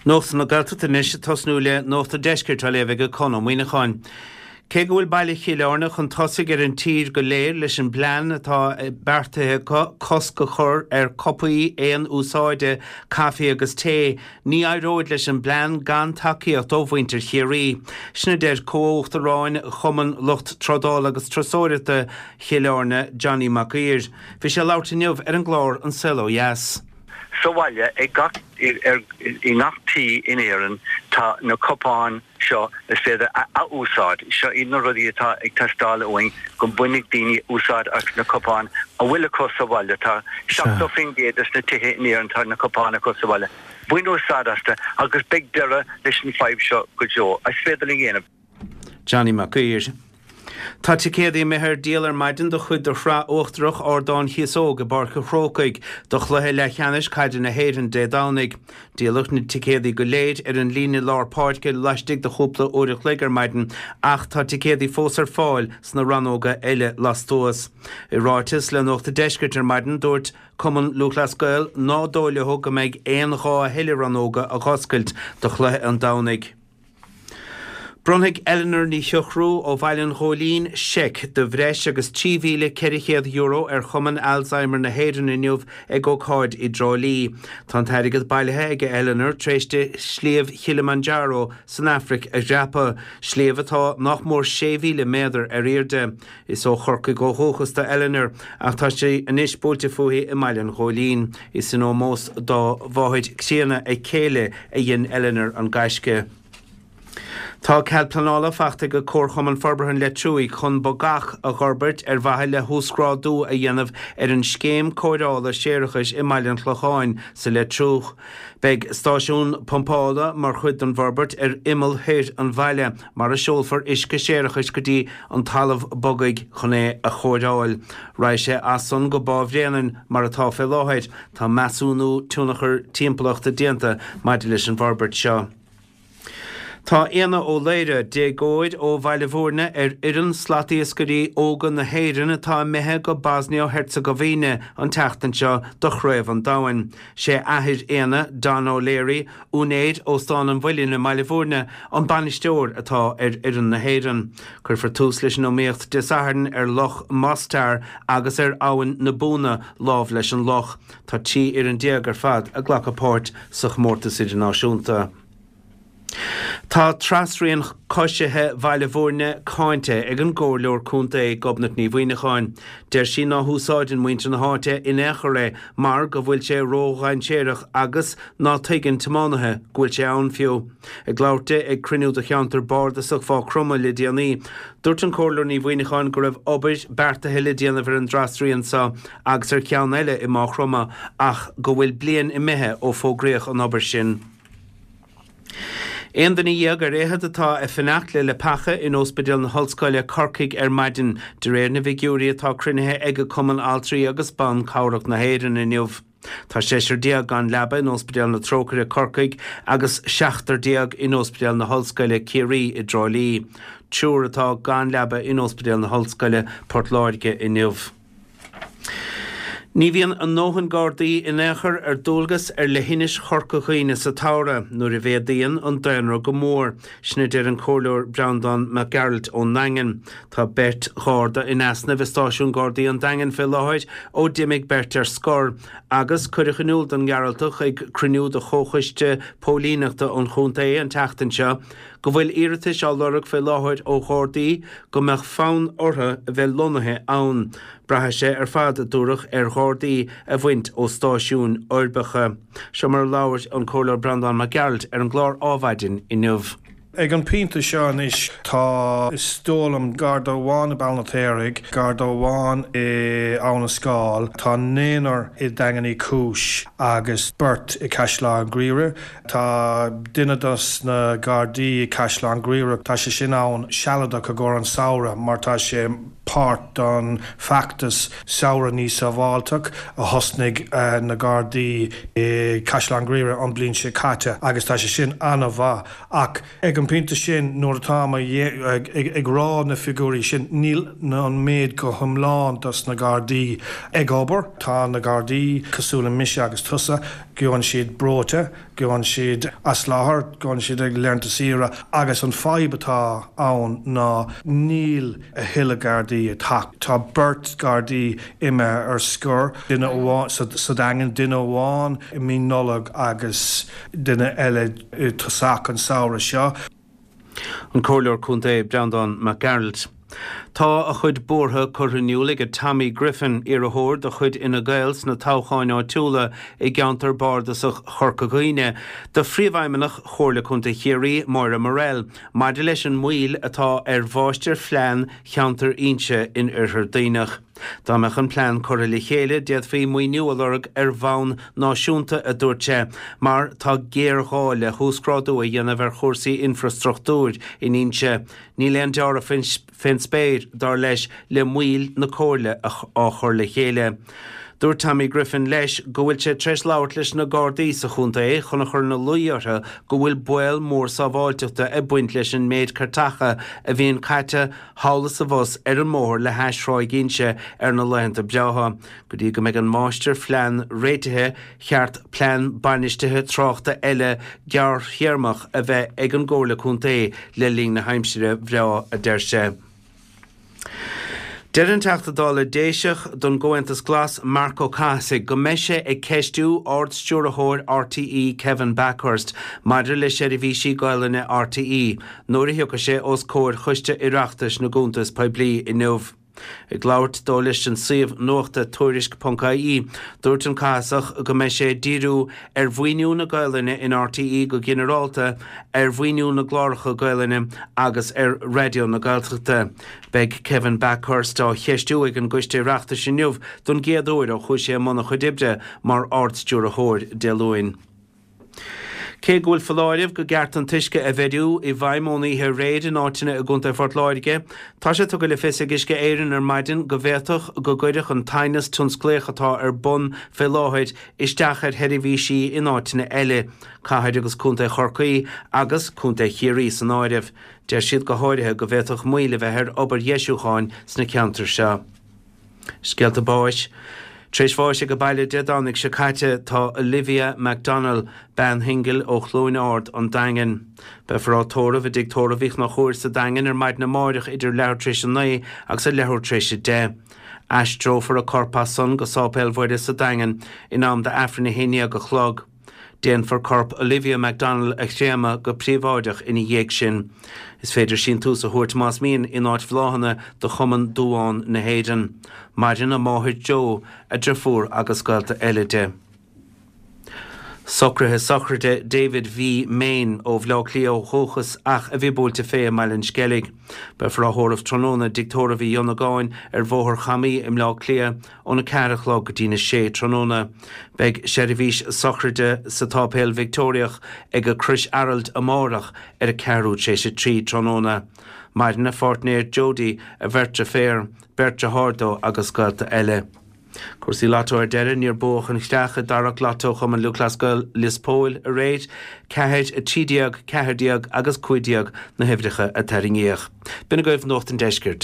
Nuacht na Gaeltachta anois ag tosnú le Nuacht an Deiscirt á léamh ag Conn Ó Muíneacháin. Cé go bhfuil baile Chill Airne chun tosaigh ar an tír go léir leis an bplean atá beartaithe acu cosc a chur ar cupaí aon úsáide caife agus tae, ní éireoidh leis an bplean gan tacaíocht ó mhuintir Chiarraí. Sin a deir Comh-Uachtaráin Chumann Lucht Trádála agus Turasóireachta Chill Airne, Johnny Mac Uidhir. Bhí sé ag labhairt inniu ar an gclár An Saol Ó Dheas. Sa bhaile, ag gach, i ngach tí in Éirinn tá na cupáin seo is féidir a athúsáid. Seo iad na rudaí atá ag teastáil uainn, go mbainfidh daoine úsáid as na cupáin a bhfuil acu sa bhaile. Tá 70% des na tithe in Éirinn tá na cupáin acu sa bhaile. Bain úsáid astu agus beidh deireadh leis an fadhb seo go deo. Is féidir linn a dhéanamh. Johnny Mac Uidhir. Tá ticéadaí imithe ar díol ar maidin do chuid de shraith uachtarach Ardán Chíosóg i bPáirc an Chrócaigh do chluiche leathcheannais caide na hÉireann Dé Domhnaigh. Díoladh na ticéadaí go léir ar an líne lár páirce laistigh de chúpla uair a chloig ar maidin ach tá ticéadaí fós ar fáil sna rannóga eile lastuas. I ráiteas le Nuacht an Deiscirt ar maidin dúirt Cumann Lúthchleas Gael ná dóigh leo go mbeidh aon ghá a thuilleadh rannóga a dh'oscailt do chluiche an Domhnaigh. Bronnfaidh Eleanor Ní Shochrú ó Bhaile an Ghóilín seic de bhreis agus €3,400 ar Chumann Alzheimer na hÉireann inniu ag ócáid i dTrá Lí. Tá an t-airgead bailithe ag Eleanor tar éis di Sliabh Chilimanjaro san Afraic a dhreapadh, sliabh atá nach mór 6,000 méadar ar airde. Is ó Chorcaigh ó dhúchas do Eleanor ach tá sí anois buailte fúithi i mBaile an Ghóilín. Is in ómós dá mháthair chríonna a céile a dhein Eleanor an gaisce. Tá cead pleanála fachta ag Comharchumann Forbartha an Leitriúigh chun bogach a dh'fhorbairt ar mhaithe le huasghrádú a dhéanamh ar an scéim cóireála séarachais i mBaile an Chlocháin sa Leitriúch. Beidh stáisiún pumpála mar chuid den bhforbairt ar imeall thoir an bhaile mar a seolfar uisce séarachais go dtí an talamh bogaigh chun é a chóireáil. Raghaidh sé as san go Bá Bhréanainn mar atá fé láthair. Tá measúnú tionchar timpeallachta déanta maidir leis an bhforbairt seo. Tá Éanna Ó Laoire, déagóir ó Bhaile Bhúirne, ar fhoireann slatiascairí óga na hÉireann atá imithe go Bosnia-Herzegovina an tseachtain seo do Chraobh an Domhain. Sé athair Éanna, Don O'Leary, úinéir Óstán an Mhuilinn i mBaile Bhúirne, an bainisteoir atá ar fhoireann na hÉireann. Cuirfear tús leis an iomaíocht Dé Sathairn ar Loch Mostar agus ar Abhainn na Búna lámh leis an loch. Tá 13 fhoireann ar fad ag glacadh páirt sa chomórtas idirnáisiúnta. Tá trasrian coisithe Bhaile Bhúirne cáinte ag an gComhairleoir Contae, Gobnait Ní Mhuineacháin. Deir sí ná húsáideann muintir na háite in aon chor é mar go bhfuil sé ródhainséarach agus ná tuigeann tiománaithe go bhfuil sé ann fiú. Ag labhairt di ag cruinniú de cheantar bardasach Mhaigh Chromtha le déanaí, dúirt an Comhairleoir Ní Mhuineacháin go raibh obair beartaithe le déanamh ar an dtrasrian seo agus ar cheann eile i Maigh Chromtha ach go bhfuil bliain imithe ó fógraíodh an obair sin. Aon duine dhéag ar fhichead atá ag fanacht le leapacha in Óspidéal na hOllscoile, Corcaigh ar maidin, de réir na bhfigiúirí atá cruinnithe ag Cumann Altraí agus Ban Cabhrach na hÉireann inniu. Tá 16 gan leaba in Óspidéal na Trócaire, Corcaigh agus 17 in Óspidéal na hOllscoile, Ciarraí i dTrá Lí. Triúr atá gan leaba in Óspidéal na hOllscoile, Port Láirge inniu. Ní bhíonn a ndóthain Gardaí in aon chor ar dualgas ar leithinis Chorca Dhuibhne sa tsamhradh, nuair a mhéadaíonn an daonra go mór. Sin a deir an Comhairleoir Breandán Mac Gearailt ón nDaingean. Tá beirt Gharda in easnamh i stáisiún Gardaí an Daingin fé láthair ó d'imigh beirt ar scor, agus cuireadh in iúl don nGearaltach ag cruinniú de Chomhchoiste Póilíneachta an chontae an tseachtain seo go bhfuil iarratais á lorg fé láthair ó Ghardaí go mbeadh fonn orthu a bheith lonnaithe ann. Braithfidh sé ar fad, a dúradh, ar Ghardaí a bhaint ó stáisiúin uirbeacha. Seo mar a labhair an Comhairleoir Breandán Mac Gearailt ar an gclár Ádhmhaidin inniu. Ag an bpointe seo anois tá, is dóigh liom, Garda amháin i Béal an Fheirtéaraigh, Garda amháin i Abhainn an Scáil, tá naonúr i Daingean Uí Chúis agus beirt i Caisleán Ghriaire. Tá duine dos na Gardaí i Caisleán Ghriaire, tá sé sin ann sealadach i gcomhair an samhradh mar tá sé páirt don feachtas Samhradh Níos Sábháilteach a thosnaigh na Gardaí i Caisleán Ghriaire an bliain seo caite agus tá sé sin an-mhaith ach ag an bpointe sin nuair atáim ag rá na figiúirí sin níl an méid go hiomlán dos na Gardaí ag obair. Tá na Gardaí cosúil le mise agus tusa. Gabhann siad breoite, gabhann siad as láthair, gabhann siad ag laethanta saoire agus an fadhb atá ann ná níl a thuilleadh Gardaí ag teacht. Tá beirt Ghardaí imithe ar scor, duine amháin sa Daingean, duine amháin i mí Nollag agus duine eile i dtosach an samhradh seo. An Comhairleoir Contae Breandán Mac Gearailt. Tá a chuid buartha curtha in iúl ag Tommy Griffin, iarrthóir de chuid Fhine Gael sna toghcháin áitiúla i gceantar bardasach Chorca Dhuibhne, do Phríomhfheidhmeannach Chomhairle Contae Chiarraí, Moira Murrell, maidir leis an moill atá ar mháistirphlean cheantar Inse in Oirthear Duibhneach. Dá mbeadh an plean curtha le chéile, d'fhéadfaí maoiniú a lorg ar bhonn náisiúnta, a dúirt sé, mar tá géarghá le huasghrádú a dhéanamh ar chúrsaí infreastruchtúir in Inse. Níl aon deáramh fén spéir, dar leis, le moill na comhairle á chur le chéile. Dúirt Tommy Griffin leis go bhfuil sé tar éis labhairt leis na Gardaí sa chontae chun a chur ina luí orthu go bhfuil baol mór sábháilteachta ag baint leis an méid cairteacha a bhíonn caite thall is abhus ar an mbóthar le hais Thráigh Inse ar na laethanta breátha. Go dtí go mbeidh an máistirphlean réitithe, cheart plean bainistithe tráchta eile gearrthéarmach a bheith ag an gComhairle Contae le linn na haimsire bhreá, a deir sé. Deir an Teachta Dála Déiseach don gComhaontas Glas, Marc Ó Cathasaigh, go mbeidh sé ag ceistiú Ard-Stiúrthóir RTÉ Kevin Bakhurst maidir le seirbhísí Gaolainne RTÉ nuair a thiocfaidh sé os comhair Choiste Oireachtais na gCuntas Poiblí inniu. Ag labhairt dó leis an suíomh nuachta Tuairisc ponc ie, dúirt an Cathasach go mbeidh sé ag díriú ar mhaoiniú na Gaolainne in RTÉ go ginearálta, ar mhaoiniú na gcláracha Gaolainne agus ar Raidió na Gaeltachta. Beidh Kevin Bakhurst á cheistiú ag an gCoiste Oireachtais inniu don gcéad uair ó chuaigh sé i mbun a chuid oibre mar Ard-Stiúrthóir Dé Luain. Cé go bhfuil foláireamh go gceart an t-uisce a mheidhriú i bhfeidhm ón oíche aréir in áiteanna i gContae Phort Láirge, tá sé tugtha le fios ag Uisce Éireann ar maidin go bhféadfadh go gcuirfeadh an t-aighneas tionsclaíoch atá ar bun fé láthair isteach ar sheirbhísí in áiteanna eile, cathair agus contae Chorcaí agus contae Chiarraí san áireamh. Deir siad go háirithe go bhféadfadh moill a bheith ar obair dheisiúcháin sna ceantair seo. Scéalta báis. Tar éis bháis age baile Dé Domhnaigh seo caite tá Olivia McDonnell, bean shingil ó Chluain Ard, An Daingean. Beifear á tórramh i dTigh Tórraimh Uí Chonchúir sa Daingean ar maidin amáireach idir leathuair tar éis a 9 agus a leathuair tar éis a 10. Aistreofar a corp as san go Sáipéal Mhuire sa Daingean in am d'Aifreann 11 a chlog. Déanfar corp Olivia McDonnell a chréamadh go príobháideach ina dhiaidh sin. Is féidir síntiús a thabhairt más mian in áit bhláthanna do Chumann Duán na hÉireann. Maireann a máthair Jo, a driofúr agus gaolta eile di. Socruithe sochraide David V. Main ó Bhleá Cliath ó dhúchas ach a bhí buailte fé i mBaile an Sceilg. Beifear á thórramh tráthnóna i dTigh Tórraimh Uí Dhonnagáin ar Bhóthar Chamaí i mBleá Cliath óna 4 a chlog go dtína 6 tráthnóna. Beidh seirbhís sochraide sa tSáipéal Victeoiriach ag Crois Araild amárach ar a ceathrú tar éis a 3 tráthnóna. Maireann a pháirtnéir Jodie, a bheirt deirféar, beirt deartháir dó agus gaolta eile. Cúrsaí Lotto ar deireadh, níor buadh an chreach i dtarrac Lotto Chumann Lúthchleas Gael Lios Póil aréir. 4, 13, 14 agus 15 na huimhreacha a tarraingíodh. B'in agaibh Nuacht an Deiscirt.